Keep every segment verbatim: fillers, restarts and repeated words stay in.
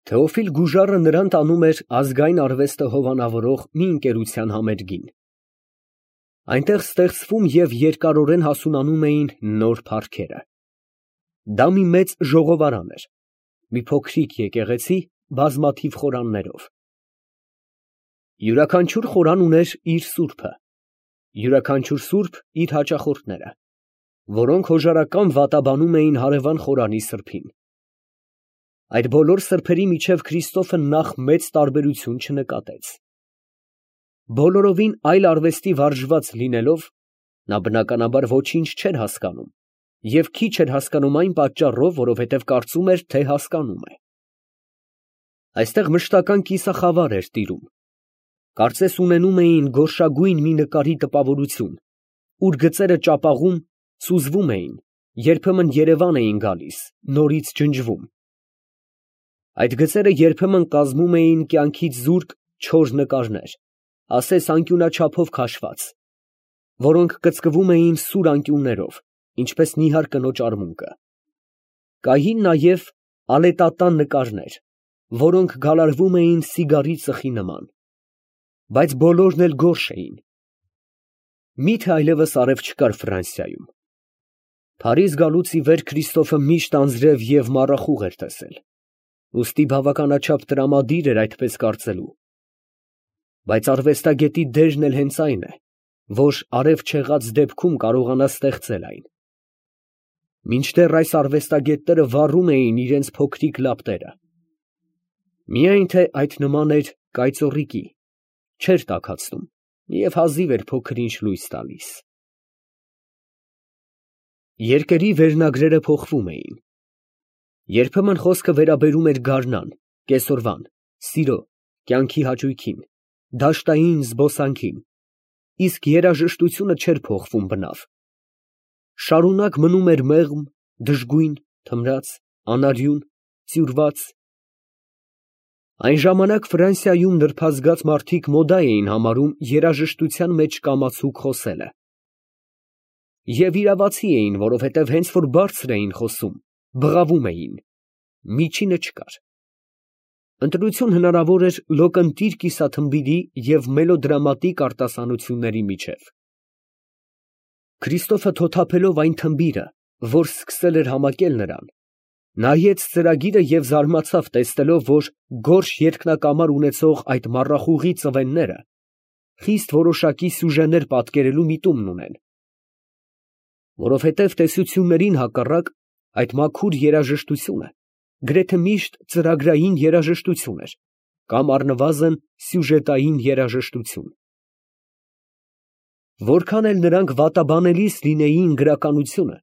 Թեոֆիլ Գուժարը նրան տանում էր ազգային արվեստը հովանավորող մի ընկերության համերգին։ Այնտեղ ստեղծվում և երկարորեն հասունանում էին նոր փառքերը։ Դա մի մեծ ժողովարան էր, մի փոքրիկ եկեղեցի բազմաթիվ խորաններով։ Յուրաքանչյուր խորան ուներ իր սուրբը, յուրաքանչյուր սուրբ իր հաճախորդները, որոնք հոժարական վատաբանում էին հարևան խորանի սրբին։ Այդ բոլոր սրբերի միջև Քրիստոֆը նախ մեծ տարբերություն չնկատեց։ Բոլորովին այլ արվեստի վարժված լինելով, նա բնականաբար ոչինչ չէր հասկանում և քիչ էր հասկանում այն պատճառով, որովհետև կարծում էր, թե հասկանում է։ Այստեղ մշտական կիսախավար էր տիրում, կարծես ունենում էին գորշագույն մի նկարի տպավորություն, ուր գծերը ճապաղում, սուզվում էին, երբեմն երևան էին գալիս, նորից ջնջվում։ Այդ գծերը երբեմն կազմում էին կյանքից զուրկ չոր նկարներ, ասես անկյունաչափով քաշված, որոնք կծկվում էին սուր անկյուններով, ինչպես նիհար կնոջ արմունկը։ Կային նաև ալետատան նկարներ, որոնք գալարվում էին սիգարի ծխի նման, բայց բոլորն էլ գորշ էին։ Մի՞թե այլևս արև չկար Ֆրանսիայում։ Փարիզ գալուց ի վեր Քրիստոֆը միշտ անձրև և մառախուղ էր տեսել, ուստի բավականաչափ տրամադիր էր այդպես կարծելու։ Բայց արվեստագետի դերն էլ հենց այն է, որ արև չեղած դեպքում կարողանա ստեղծել այն։ Մինչդեռ այս արվեստագետները վառում էին իրենց փոքրիկ լապտերը։ Միայն թե այդ նման էր կայծոռիկի, չէր տաքացնում և հազիվ էր փոքր-ինչ լույս տալիս։ Երկերի վերնագրերը փոխվում էին։ Երբեմն խոսքը վերաբերում էր գարնան, կեսօրվան, սիրո, կյանքի հաճույքին, դաշտային զբոսանքին, իսկ երաժշտությունը չէր փոխվում բնավ։ Շարունակ մնում էր մեղմ, դժգույն, թմրած, անարյուն, ծյուրված։ Այն ժամանակ Ֆրանսիայում նրբազգաց մարդիկ մոդա էին համարում երաժշտության մեջ կամացուկ խոսելը։ Եվ իրավացի էին, որովհետև հենց որ բարձր էին խոսում, բղավում էին, միջինը չկար։ Ընտրություն հնարավոր էր լոկընտիր կիսաթմբիրի և մելոդրամատիկ արտասանությունների միջև։ Քրիստոֆը թոթափելով այն թմբիրը, որ սկսել էր համակել նրան, նայեց ծրագիրը և զարմացավ, տեսնելով, որ գորշ երկնակամար ունեցող այդ մառախուղի ծվենները խիստ որոշակի սյուժեներ պատկերելու միտումն ունեն։ Որովհետև տեսություններին հակառակ, այդ մաքուր երաժշտությունը գրեթե միշտ ծրագրային երաժշտություն էր, կամ առնվազն սյուժետային երաժշտություն։ Որքան էլ նրանք վատաբանելիս լինեին գրականությունը,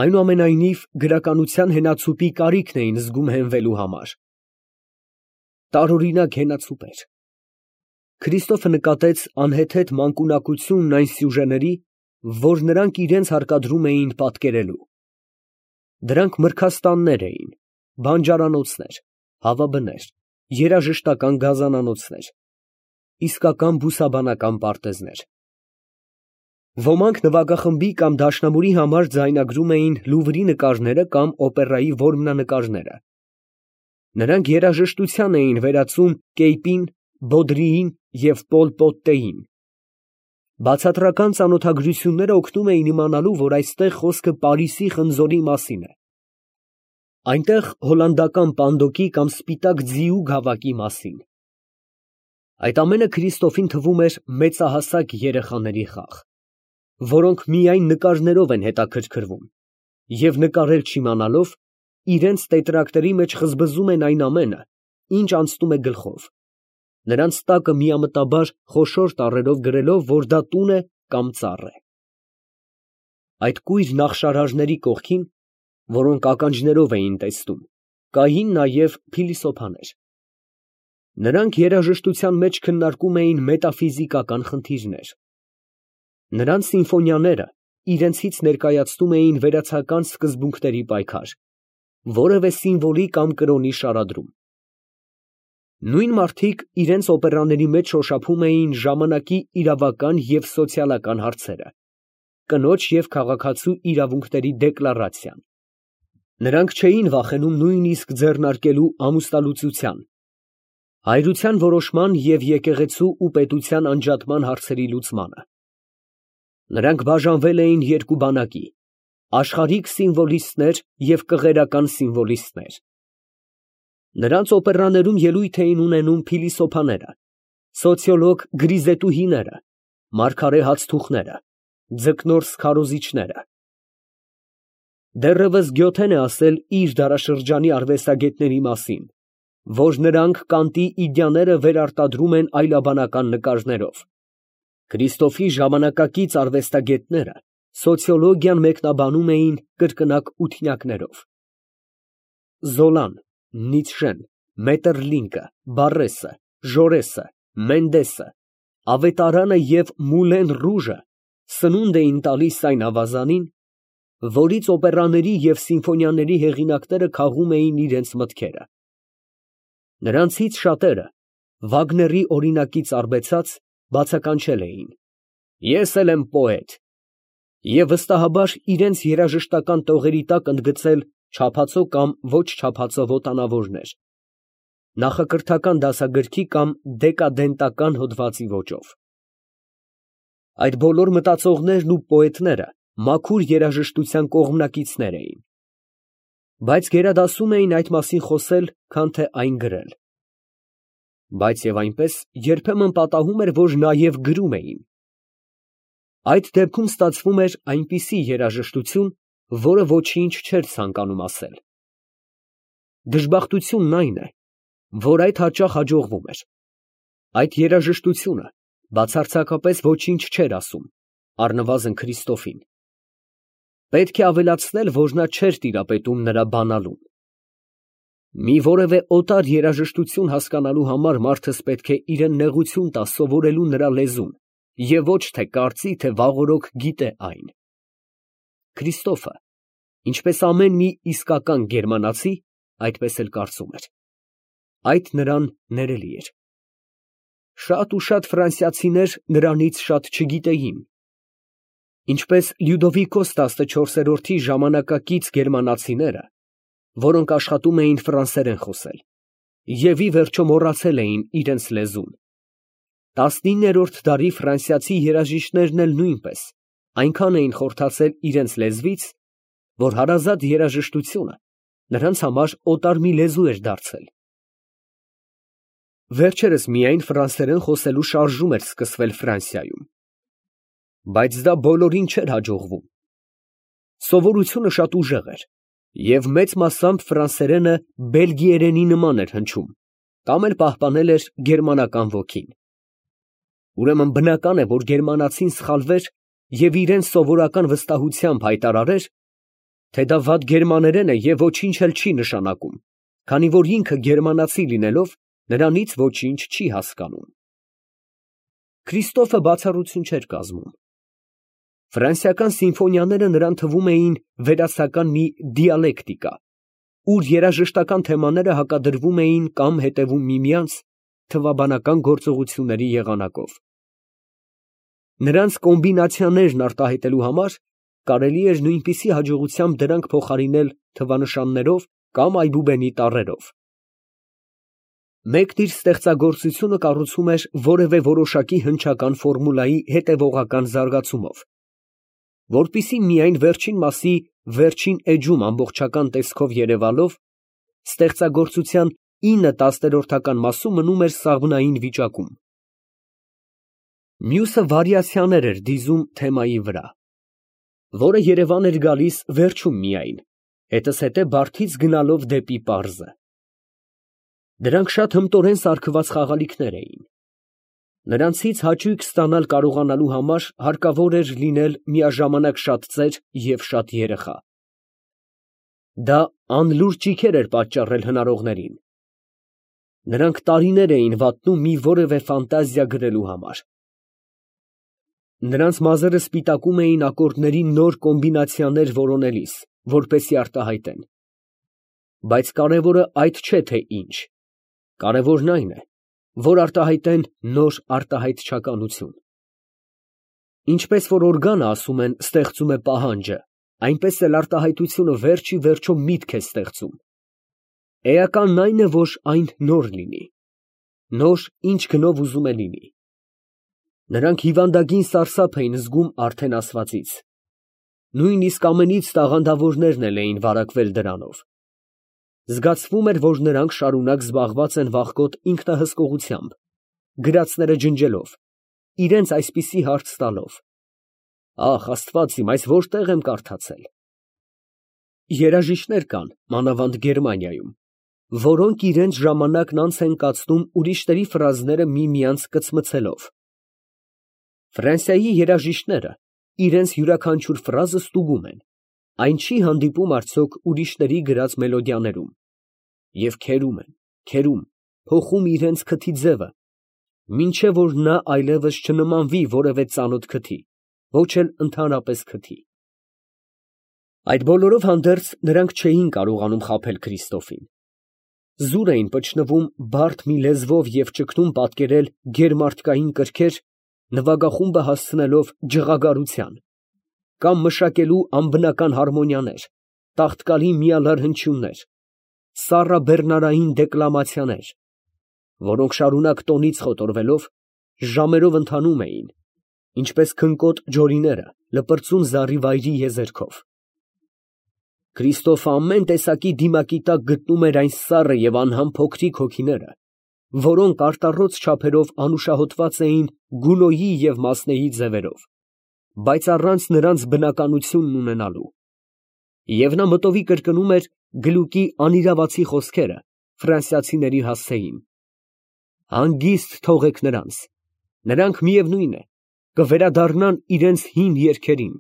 այնուամենայնիվ գրականության հենացուպի կարիքն էին զգում հենվելու համար։ Տարօրինակ հենացուպ էր։ Քրիստոֆը նկատեց անհեթեթ մանկունակությունն այն սյուժեների, որ նրանք իրենց հարկադրում էին պատկերելու։ Դրանք մրգաստաններ էին, բանջարանոցներ, հավաբներ, երաժշտական գազանանոցներ, իսկական բուսաբանական պարտեզներ։ Ոմանք նվագախմբի կամ դաշնամուրի համար ձայնագրում էին Լուվրի նկարները կամ օպերայի որմնանկարները։ Նրանք երաժշտության էին վերածում Կեյպին, Բոդրիին և Պոլ Պոտտեին։ Բացատրական ծանոթագրությունները օգնում էին իմանալու, որ այստեղ խոսքը Պարիսի խնձորի մասին է։ Այնտեղ հոլանդական պանդոկի կամ սպիտակ ձիու գավակի մասին։ Այդ ամենը Քրիստոֆին թվում էր մեծահասակ երեխաների խաղ, որոնք միայն նկարներով են հետաքրքրվում և նկարել չիմանալով, իրենց տետրակների մեջ խզբզում են այն ամենը, ինչ անցնում է գլխով, նրանց տակը միամտաբար խոշոր տառերով գրելով, որ դա տուն է կամ ծառ է։ Այդ կույր նախշարարների կողքին, որոնք ականջներով էին տեսնում, կային նաև փիլիսոփաներ։ Նրանք երաժշտության մեջ քննարկում էին մետաֆիզիկական խնդիրներ։ Նրանց սիմֆոնիաները իրենցից ներկայացնում էին վերացական սկզբունքների պայքար, որևէ սիմվոլի կամ կրոնի շարադրում։ Նույն մարդիկ իրենց օպերաների մեջ շոշափում էին ժամանակի իրավական և սոցիալական հարցերը, կնոջ և քաղաքացու իրավունքների դեկլարացիան։ Նրանք չէին վախենում նույնիսկ ձեռնարկելու ամուսնալուծության, հայրության որոշման և եկեղեցու ու պետության անջատման հարցերի լուծմանը։ Նրանք բաժանվել էին երկու բանակի, աշխարհիկ սիմվոլիստներ և կղերական սիմվոլիստներ։ Նրանց օպերաներում ելույթ էին ունենում փիլիսոփաները, սոցիոլոգ գրիզետուհիները, մարգարե հացթուխները, ձկնորս քարոզիչները։ Դեռևս Գյոթեն է ասել իր դարաշրջանի արվեստագետների մասին, որ նրանք Կանտի իդեաները վերարտադրում են այլաբանական նկարներով։ Քրիստոֆի ժամանակակից արվեստագետները սոցիոլոգիան մեկնաբանում էին կրկնակ ութնյակներով։ Զոլան, Նիցշեն, Մետերլինկը, Բարրեսը, Ժորեսը, Մենդեսը, Ավետարանը և Մուլեն Ռուժը սնունդ էին տալիս այն ավազանին, որից օպերաների և սիմֆոնիաների հեղինակները քաղում էին իրենց մտքերը։ Նրանցից շատերը, Վագների օրինակից արբեցած, բացականչել էին. «Ես էլ եմ պոետ» և վստահաբար իրենց երաժշտական տողերի տակ ընդգծել չափածո կամ ոչ չափածո վոտանավորներ, նախակրթական դասագրքի կամ դեկադենտական հոդվածի ոճով։ Այդ բոլոր մտածողներն ու պոետները մաքուր երաժշտության կողմնակիցներ էին, բայց գերադասում էին այդ մասին խոսել, քան թե այն գրել։ Բայց և այնպես երբեմն պատահում էր, որ նաև գրում էին։ Այդ դեպքում ստացվում էր այնպիսի երաժշտություն, որը ոչինչ չէր ցանկանում ասել։ Դժբախտությունն այն է, որ այդ հաճախ հաջողվում էր։ Այդ երաժշտությունը բացարձակապես ոչինչ չէր ասում, առնվազն Քրիստոֆին։ Պետք է ավելացնել, որ նա չէր տիրապետում նրա բանալուն։ Մի որևէ օտար երաժշտություն հասկանալու համար մարդս պետք է իրան նեղություն տա սովորելու նրա լեզուն և ոչ թե կարծի, թե վաղօրոք գիտե այն։ Քրիստոֆը, ինչպես ամեն մի իսկական գերմանացի, այդպես էլ կարծում էր։ Այդ նրան ներելի էր։ Շատ ու շատ ֆրանսիացիներ նրանից շատ չգիտեին, ինչպես Լյուդովիկոս տասնչորսերորդի ժամանակակից գերմանացիները, որոնք աշխատում էին ֆրանսերեն խոսել, և ի վերջո մոռացել էին իրենց լեզուն։ Տասնիններորդ դարի ֆրանսիացի երաժիշտներն էլ նույնպես այնքան էին խորթացել իրենց լեզվից, որ հարազատ երաժշտությունը նրանց համար օտար մի լեզու էր դարձել։ Վերջերս միայն ֆրանսերեն խոսելու շարժում էր սկսվել Ֆրանսիայում։ Բայց դա բոլորին չէր հաջողվում։ Սովորությունը շատ ուժեղ էր, և մեծ մասամբ ֆրանսերենը բելգիերենի նման էր հնչում, կամ էլ պահպանել էր գերմանական ոգին։ Ուրեմն բնական է, որ գերմանացին սխալվեր և իրենց սովորական վստահությամբ հայտարարեր, թե դա վատ գերմաներեն է և ոչինչ էլ չի նշանակում, քանի որ ինքը գերմանացի լինելով, նրանից ոչինչ չի հասկանում։ Քրիստոֆը բացառություն չէր կազմում։ Ֆրանսիական սիմֆոնիաները նրան թվում էին վերացական մի դիալեկտիկա, ուր երաժշտական թեմաները հակադրվում էին կամ հետևում միմյանց թվաբանական գործողությունների եղանակով։ Նրանց կոմբինացիաներն արտահայտելու համար կարելի էր նույնպիսի հաջողությամբ դրանք փոխարինել թվանշաններով կամ այբուբենի տառերով։ Մեկն իր ստեղծագործությունը կառուցում էր որևէ որոշակի հնչական ֆորմուլայի հետևողական զարգացումով, որպեսզի միայն վերջին մասի վերջին էջում ամբողջական տեսքով երևալով, ստեղծագործության ինը տասներորդական մասում մնում էր սաղմնային վիճակում։ Մյուսը վարիացիաներ էր դիզում թեմայի վրա, որը երևան էր գալիս վերջում միայն, հետզհետե բարդից գնալով դեպի պարզը։ Դրանք շատ հմտորեն սարքված խաղալիքներ էին։ Նրանցից հաճույք ստանալ կարողանալու համար հարկավոր էր լինել միաժամանակ շատ ծեր և շատ երեխա։ Դա անլուրջ ճիգեր էր պատճառել հնարողներին։ Նրանք տարիներ էին վատնում մի որևէ ֆանտազիա գրելու համար։ Նրանց մազերը սպիտակում էին ակորդների նոր կոմբինացիաներ որոնելիս, որպեսզի արտահայտեն։ Բայց կարևորը այդ չէ, թե ինչ, կարևորն այն է, որ արտահայտեն նոր արտահայտչականություն։ Ինչպես որ օրգանը, ասում են, ստեղծում է պահանջը, այնպես էլ արտահայտությունը վերջ ի վերջո միտք է ստեղծում։ Էականն այն է, որ այն նոր լինի, նոր ինչ գնով ուզում է լինի։ Նրանք հիվանդագին սարսափ էին զգում արդեն ասվածից, նույնիսկ ամենից տաղանդավորներն էլ էին վարակվել դրանով։ Զգացվում էր, որ նրանք շարունակ զբաղված են վախկոտ ինքնահսկողությամբ, գրածները ջնջելով, իրենց այսպիսի հարց տալով. «Ախ, Աստված իմ, այս որտեղ եմ կարդացել»։ Երաժիշտներ կան, մանավանդ Գերմանիայում, որոնք իրենց ժամանակն անց են կացնում ուրիշների ֆրազները միմյանց կծմցելով։ Ֆրանսիայի երաժիշտները իրենց յուրաքանչյուր ֆրազը ստուգում են, այն չի հանդիպում արդյոք ուրիշների գրած մելոդիաներում, և քերում են, քերում, փոխում իրենց քթի ձևը, մինչև որ նա այլևս չնմանվի որևէ ծանոթ քթի, ոչ էլ ընդհանրապես քթի։ Այդ բոլորով հանդերձ նրանք չէին կարողանում խաբել Քրիստոֆին։ Զուր էին պչնվում բարդ մի լեզվով և ճգնում պատկերել գերմարդկային կրքեր, նվագախումբը հասցնելով ջղագարության, կամ մշակելու անբնական հարմոնիաներ, տաղտկալի միալար հնչյուններ, սառաբեռնարային դեկլամացիաներ, որոնք շարունակ տոնից խոտորվելով, ժամերով ընթանում էին, ինչպես քնկոտ ջորիները լպրծուն զառիվայրի եզերքով։ Քրիստոֆը ամեն տեսակի դիմակի տակ գտնում էր այն սառը և անհամ փոքրիկ հոգիները, որոնք արտառոց չափերով անուշահոտված էին Գունոյի և Մասնեի ձևերով, բայց առանց նրանց բնականությունն ունենալու։ Եվ նա մտովի կրկնում էր Գլուկի անիրավացի խոսքերը ֆրանսիացիների հասցեին. «Հանգիստ թողեք նրանց, նրանք միևնույն է, կվերադառնան իրենց հին երգերին»։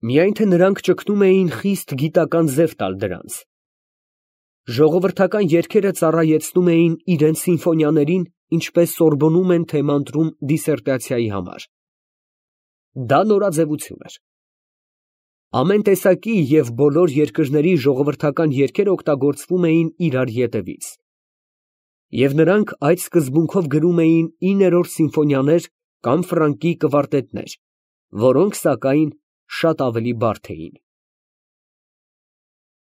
Միայն թե նրանք ճգնում էին խիստ գիտական ձև տալ դրանց։ Ժողովրդական երգերը ծառայեցնում էին իրենց սիմֆոնիաներին, ինչպես Սորբոնում են թեմանտրում դիսերտացիայի համար։ Դա նորաձևություն էր։ Ամեն տեսակի և բոլոր երկրների ժողովրդական երգեր օգտագործվում էին իրար ետևից։ Եվ նրանք այդ սկզբունքով գրում էին իներորդ սիմֆոնիաներ կամ ֆրանկի կվարտետներ, որոնք, սակայն, շատ ավելի բարդ էին։